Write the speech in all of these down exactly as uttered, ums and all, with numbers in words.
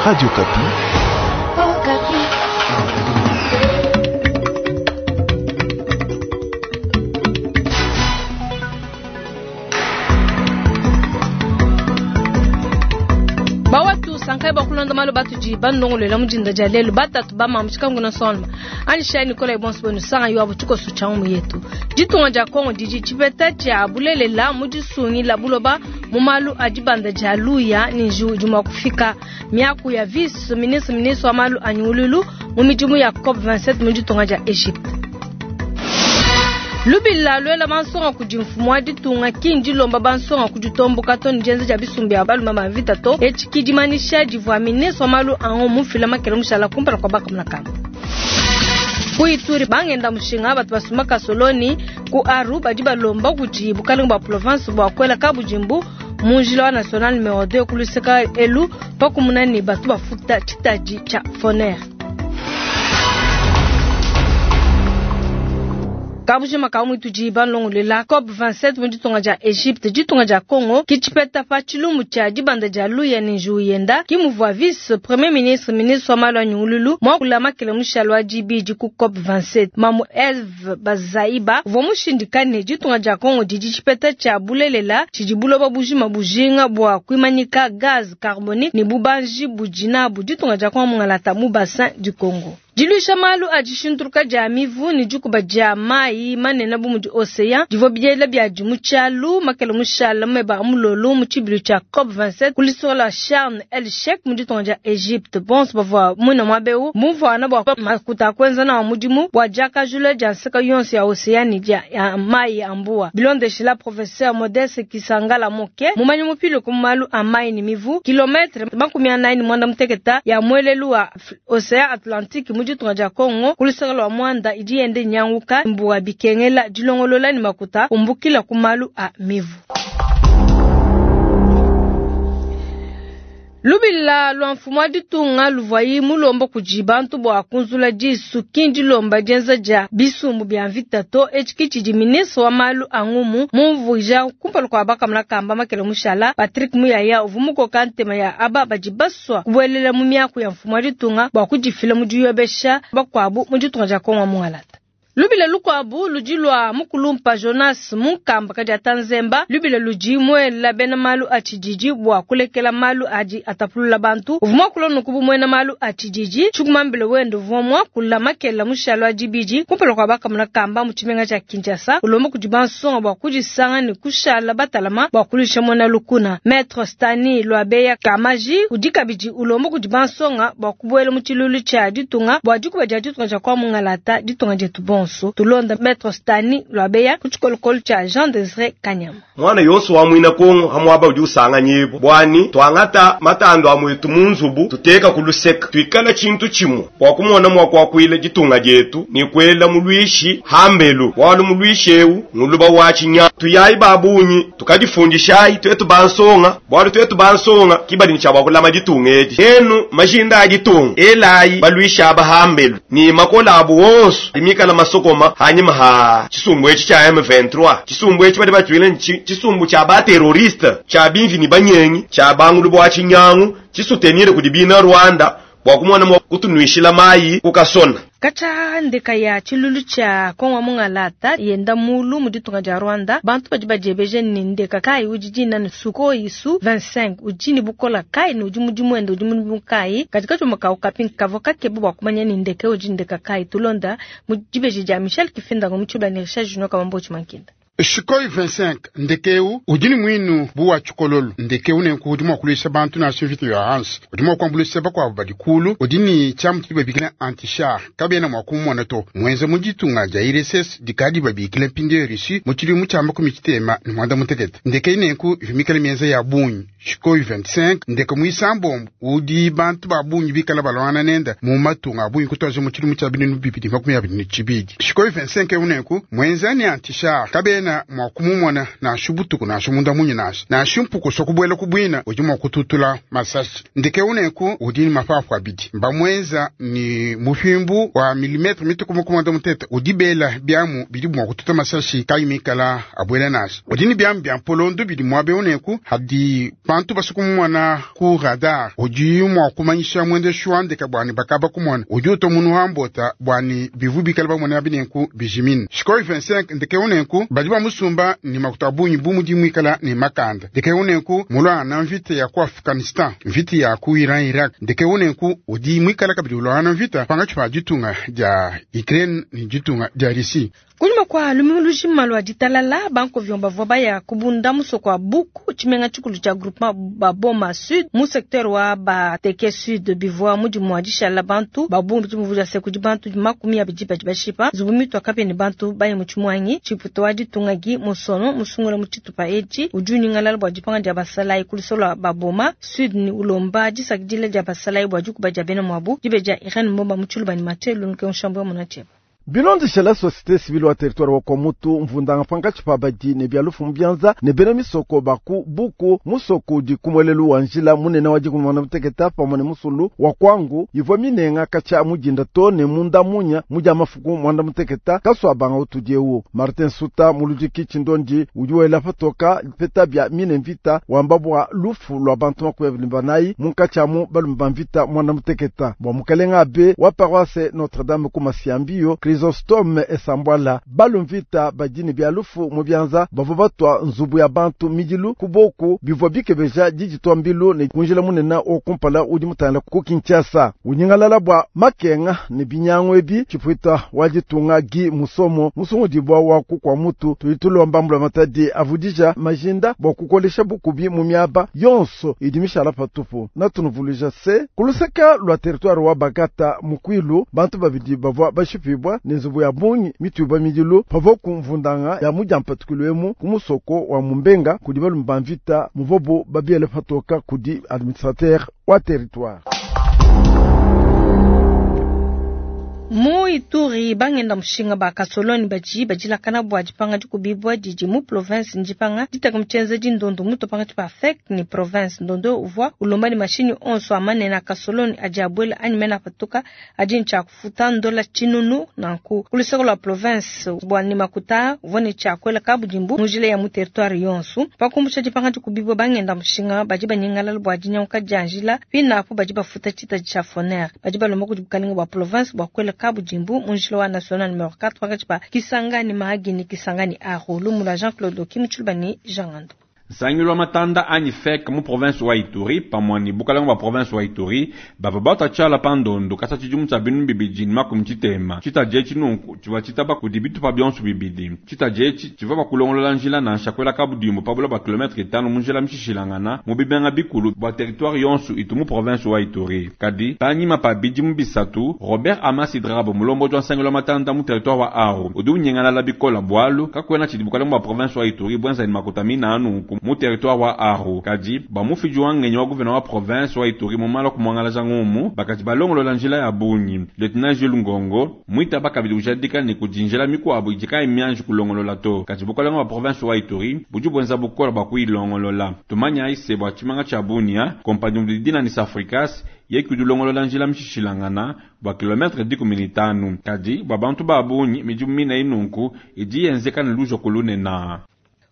Radio Okapi. Bawatu sankai bakulonda malo batudi bandongolela mujinda dia lelo batatu bamama tshikangu na sonma anisha Nicolas Bonso bonu sanga yo abu tshikoso tsha mu yetu ditunga dia Kongo didi tshipeta tshia bulelela mu disungila buloba mu malu a dibanda dia luya ni njiwu idi mua kufika miaku ya vice ministre ministre wa malu a nyungululu mu midimu ya COP vingt-sept mu ditunga dia Egypte. Lubila lwela bansonga kudi mfumu wa ditunga kindi lomba bansonga kuditomboka to ni dienza dia bisumbu bia balume ba mvita to etshi kidimanisha divua ministre wa malu a mufila makele mushala kumpala kua bakamuna kamba. Ku Ituri bangenda mushinga batu basuma kasoloni ku Aru badi balomba kudi bukalenga bua province bua kuela kabujimbu mu njila wa national numéro deux ku luseka elu pakumuna ne batu bafuta tshitadi tshia Foner. Kabujima ka mwituji banlongolela COP vingt-sept mu ditunga dia Egypte ditunga dia Congo kitshipeta pa tshilumbu tshia dibanda dia luya ne njiwu yenda kimuvua vice premier ministre ministre wa malu a nyungululu muakula makele mushalo wa dibidi ku COP vingt-sept mamu Eve Bazaiba uvua mushindikane ditunga dia Congo didi tshipeta tshia bulelela tshidi buloba bujima bujinga bua kuimanyika gaz carbonique ne bubanji budi nabu ditunga dia Congo mungalata mu bassin du Congo. Diluisha malu a dishintuluka dia mivu ne dikuba dia mayi manene bu mudi océan divua biela bia di mu tshialu makele mushala meba a mulolo mu tshibilu tshia COP vingt-sept ku lisoko la Sharm El Sheikh mu ditunga dia Egypte. Bonso bavua muina muaba eu mumvuana bua makuta a kuenza nawu mudimu bua diakajula dia nseka yonso ya océan ne dia ya mayi a mbuwa. Bilondeshila professeur Modeste Kisangala Moke mumanyi mupile ku malu a mayi ne mivu kilometre makumi anayi ne muanda muteketa ya muelelu wa océan Atlantique mu ditunga dia Congo ku luseke lua Mwanda idi yende nyanguka mbuwa bikengela dilongolola ne makuta umbukila ku malu a mivu. Lubila lwa mfumu wa ditunga luvwayi mulomba kudi bantu bua kunzula disu kindi lomba dienza dia bisumbu bia mvita to etshi tshidi ministre wa malu a ngumu mumvuija kumpala kua bakamuna kamba makele mushala Patrick Muyaya uvua mukoka ntema ya aba badi basua kubuelela mu miaku ya mfumu wa ditunga bua kudifila mu diyobesha bakuabu mu ditunga dia Kongo mungalata. Lubila lukuabu ludi lua mukulumpa Jonas Munkamba kadi atanzemba lubila ludi muela bena malu a tshididi bua kulekela malu adi atapulula bantu uvua muakula nuku muena malu a tshididi tshikumambile wende uvua muakula makela mushalo a dibidi kumpala kua bakamuna kamba mu tshimenga tshia Kinshasa ulomba kudi bansonga bua kudisanga ne kushala batalama bua kuluisha muena lukuna. Maître Stani Lwabeya Kamaji udi kabidi ulomba kudi bansonga bua kubuela mu tshilulu tshia ditunga bua dikuba dia ditunga dia kwa mungalata ditunga dietu bonso. Tulonda Maître Stani Lwabeya ku tshikolokolo tshia Jean Desire Kanyama. Mwana yonso wa mwina Kongo hamwaba udi usanga nyibo bwani twangata matando a mwetu mu nzubu tuteka ku luseka twikala tshintu tshimwe bua kumona mwa kwakwila ditunga dietu ni kwela mulwishi hambelu walu mulwishi eu nguluba wa tshinya tuyayi babunyi tukadifundishayi twetu bansonga bwalu twetu bansonga kibali ni tsha kulama ditunga edi enu majinda a ditunga elayi balwisha abahambelu ni makola abu wonso limikala masokoma hanyuma ha chisumbu echi cha M vingt-trois chisumbu echi bali batwile chisumbu cha ba terroriste cha bimvi ni banyengi cha bangulu bwa chinyangu chisutenire kudibina Rwanda bwa kumona mwa kutunwishila mayi kukasona. Kacha ndeka ya tshilulu tshia Kongo mungalata yenda mulu mu ditunga dia Rwanda bantu badi badiebeje ni ndeka kai udi dina ni Sukhoi Su vingt-cinq udi ni bukola kai ni udi mudimu wende udi mudimu kai katika tshuma ka ukapi kavo kakebe bua kumanya ni ndeka udi ndeka kai tulonda mu dibeji dia Michel Kifinda mu tshibula ni Richard Junior Kamambo Tshimankinda. Sukhoi vingt-cinq ndekeu udi ni mwinu buwa tshikololo ndekeu nenku udi mua kuluisha bantu na mvita ya Hans udi mua kuambuluisha bakuabu badi kulu udi ni tshiamu tshidi babikila anti-char kabena mua kumona to mwenze mu ditunga dia I R S S dikadi babikila mpindieu Russie mu tshidimu tshia makumi tshitema ne muanda mutekete ndekei nenku ivumikala mienza ya bungi Sukhoi vingt-cinq ndeke muisambombo udi bantu ba bungi bikala balwana nenda mu matunga a bungi kutuaja mu tshidimu tshia binunu bibidi makumi abidi ne tshibidi Sukhoi vingt-cinq eu nenku mwenza ni anti-char kabena Kabena mua kumumona nansha butuku nansha munda munya nansha. Nansha mpuku kubuela ku bwina udi mua kututula masashi. Ndeke unenku udi ni mapapu abidi. Mbamwenza ni mufimbu wa milimetre mituku mukumanda mutete udi bela byamu bidi mua kututa masashi kayi mikala abuela nansha. Udi ni byamu bya mpolondo bidi muabe unenku hadi bantu basukumumona ku radar udi mua kumanyisha mwendeshi wa ndeke bwani bakaba kumona udi utomunu hambota bwani bivu bikala bamona binenku bijimine. Sukhoi vingt-cinq ndeke unenku badi bamusumba ni makuta bunyi bu mudi mwikala ni makanda. Ndeke unenku mulwana mvita ya ku Afghanistan, mvita ya ku Iran Iraq. Ndeke unenku udi mwikala kabidi ulwana mvita pangatshi pa ditunga dia Ukraine ni ditunga dia Russie. Kunyuma kwa lumingu lujima lwa ditalala banko vyomba bavua baya kubunda musoko wa Buku tshimenga tshikulu tshia groupement Baboma Sud mu secteur wa Bateke Sud bivua mudimu wa dishala bantu babungi tshimvuja se kudi bantu makumi abidi badi bashipa nzubu mitu akape ne bantu baye mu tshimwangi tshiputo wa ditunga gi musono musungula mu tshitupa etshi udi unyingalala bua dipanga dia basalayi ku lusolo lwa Baboma Sud ni ulomba disakidila dia basalayi bua dikuba dia bena mwabu dibe dia Irene Mbomba mu tshiluba ni Mathieu Lunuke nshambu ya munatsheba. Bilondeshe la société civile wa territoire wa Kwamutu mvundanga pankatshi pa badi ne bia lufu mu ne bena misoko baku buku musoko udi kumwelelu wa njila munene wa dikumi na muteketa pamwe ne musulu wa kwangu ivua minenga katshia mudinda to ne munda munya mudia mafuku mwanda muteketa kasua banga utudi ewu Martin Suta muludiki tshindondi udi wela patoka peta bia mine mvita wamba bua lufu lwa bantu makumi abidi banayi munkatshi amu balume ba mvita mwanda muteketa bua mukalenga abe wa paroisse Notre Dame ku Masiambiyo Chrysostome esambwala balumvita badini bia lufu mu byanza bavua batwa nzubu ya bantu midilu kuboku bivua bikebeja diditwa mbilu ne kunjila munene okumpala udi mutangila ku Kinshasa unyingalala bua makenga ne binyangu ebi tshipwita wa ditunga gi musomo musungudibwa wa kukwa mutu tudi tulomba mbula matadi avudija majinda bua kukolesha bukubi mu miaba yonso idi mishala patupu natunuvuluija se kuluseka lwa territoire wa Bagata mukwilu bantu babidi bavua bashipibwa ne nzubu ya bungi mituibwa midilu pavua kumvundanga ya mudiampatukilo emu ku musoko wa mumbenga kudi balume ba mvita muvobo babiele patoka kudi administrateur wa territoire. Mu Ituri bangenda mushinga ba kasoloni baji bajilakana bua dipanga dikubibwa didi mu province ndipanga ditaka mutshenze dindondo muto panga pa FEC ni province ndondo uvua ulomba ni mashini onso amanene a kasoloni adi abuela anyi mena patuka adi ntshia kufuta ndola tshinunu nanku kuluseko lua province bua ni makuta uvua ne tshia kuela kabudimbu mujila ya mu territoire yonso pakumbusha dipanga dikubibwa bangenda mushinga badi banyingalala bua dinyanguka dia njila pinapo badi bafuta tshita tshia foner badi balomba kudi bukalenga bua province bua kuela kabudimbu munjila wa national numero quatre pakati pa Kisangani Mahagi Kisangani Aro lumula Jean-Claude Okimuchuluba ni Jean Ngando. Nsangilu wa matanda anyi FEC mu province wa Ituri pamwe ni bukalenga bwa province wa Ituri bava bata tshiala pa ndondo kasa tshidimu tshia binu bibidi ni makumi tshitema tshitaji etshi nunku tshivua tshitaba kudi bitupa bionso bibidi tshitaji etshi tshivua bakulongolola njila nansha kuela kabudimbu pa bula bua kilometre itanu mu njila mishishilangana mu bibenga bikulu bua territoire yonso itu mu province wa Ituri kadi panyima pa bidimu bisatu Robert Amasi Drabo mulomboji wa nsangilu wa matanda mu territoire wa Aru udi unyengalala bikola bwalu kakuena tshidi bukalenga bua province wa Ituri bwenza ni makuta mina nunku mu territoire wa Aru kadi bamufidi wa ngenyi wa gouverneur wa province wa Ituri mumala kumwangalaja ngumu bakati balongolola njila ya bungi lieutenant Jules Ngongo mwita bakabidi kujadika ni kudinjela mikuabu idika imianji kulongolola to kati bukalenga wa province wa Ituri budi bwenza bukola bwa kuilongolola tumanya ise bwa tshimanga tshia Bunia kompani mudidina ni Safricas ye kudulongolola njila mishishilangana bwa kilometre dikumi ni tanu kadi bwa bantu ba bungi midimu mina inunku idi yenzeka ni lujo kulunena.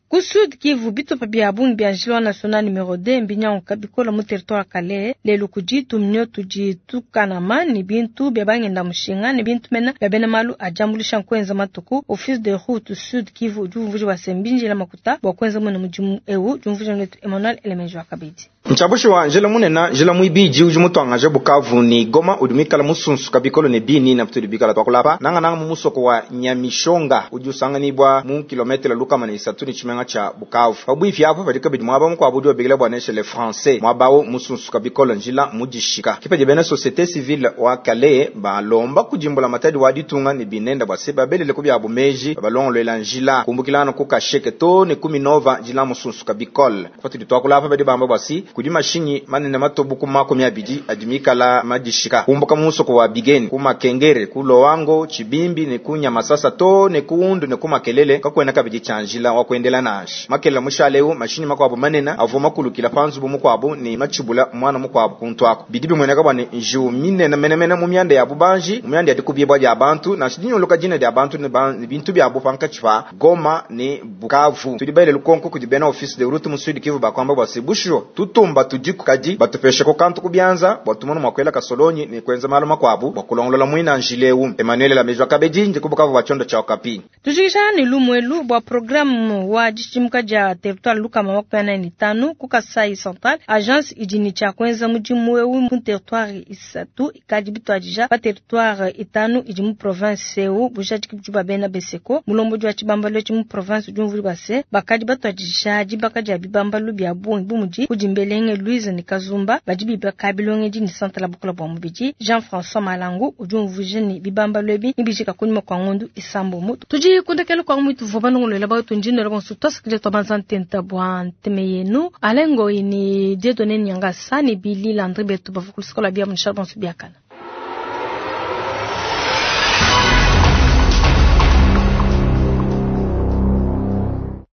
Ku Sud Kivu bitupa bia bungi bia njila national numero deux mbinyanguka bikola mu territoire Kalehe lelu kudi tumnyo tudi tukanama ni bintu bia bangenda mushinga ni bintu mena bia bena malu ajambulisha nkwenza matuku office de route Sud Kivu udi umvuja wa sembinjila makuta bua kwenza mwene mudimu ewu jumvuja netu Emmanuel Elemenjo akabidi. Ntshabushi wa njila munena njila mwibiji udi mutwangaje Bukavu ni Goma udi mwikala musunsu kabikolo ne bini na mutudi bikala twakulapa nanga nanga mu musoko wa Nyamishonga udi usanganibwa mu kilometre lukama ne isatu ni tshimenga tshimenga tshia Bukavu. Pabuipi apo padi kabidi muaba mukuabu udi babikila bua ne chez les Français, muaba awu musunsuka bikole njila mudishika. Ke padi bena société civile wa Kalehe balomba kudi mbulamatadi wa ditunga ne binenda bua se babelele ku biabu meji babalongoluela njila kumbukila anu ku Kasheke too ne ku Minova njila musunsuka bikole. Patudi tuakula apa badi bamba bua si kudi mashinyi manene matobu ku makumi abidi adi mikala madishika kumbuka mu musoko wa Bigeni ku Makengere ku Loango Tshibimbi ne ku Nyamasasa too ne ku Undu ne ku Makelele kakuena kabidi tshia njila wa kuendela nansha. Makelela mushale eu mashinyi makuabu manene avua makulukila pa nzubu mukuabu ne matshibula muana mukuabu kuntu aku. Bidi bimueneka bua ne njiwu minene menemene mu mianda ya bubanji, mu mianda ya dikubibua dia bantu nansha dinyunguluka dina dia bantu ne ba-, ne bintu biabu pankatshi pa Goma ne Bukavu. Tudi baele lukonko kudi bena office de route mu Sud Kivu bakwamba bua se bushuwa tutumba tudiku kadi batupeshe ko kantu ku bianza bua tumone mua kuela kasolonyi ne kuenza malu makuabu bua kulongolola muina njila eu. Emmanuel Lamejwa Kabedi ndi ku Bukavu bua tshiondo tshia Okapi. Tujikisha ne lumuelu bua programme wa dishidimuka dia territoire lukama makumi anayi ne tanu ku Kasai Central. Agence idi ne tshia kuenza mudimu eu mu territoire isatu ikadi bituadija pa territoire itanu idi mu province eu bujadiki budi bua bena Beseko. Mulombodi wa tshibambalu etshi mu province udi umvuija bua se bakadi batuadija dibaka dia bibambalu bia bungi bu mudi kudi Mbelenge Louise ne Kazumba badi bibaka bilongedi ne centre la bukola bua mubidi. Jean-François Malangu udi umvuija ne bibambalu ebi nibijika kunyima kua ngondu isambombo. Tudi kundekela kwa mwitu vua banongolola bawetu ndino la bonso twasakile twa banza ntenta bua nteme yenu. Alengo ini Dieudonné Nyangasa ne Billy Landry betu bavua ku luseke lua bia mu bonso biakana.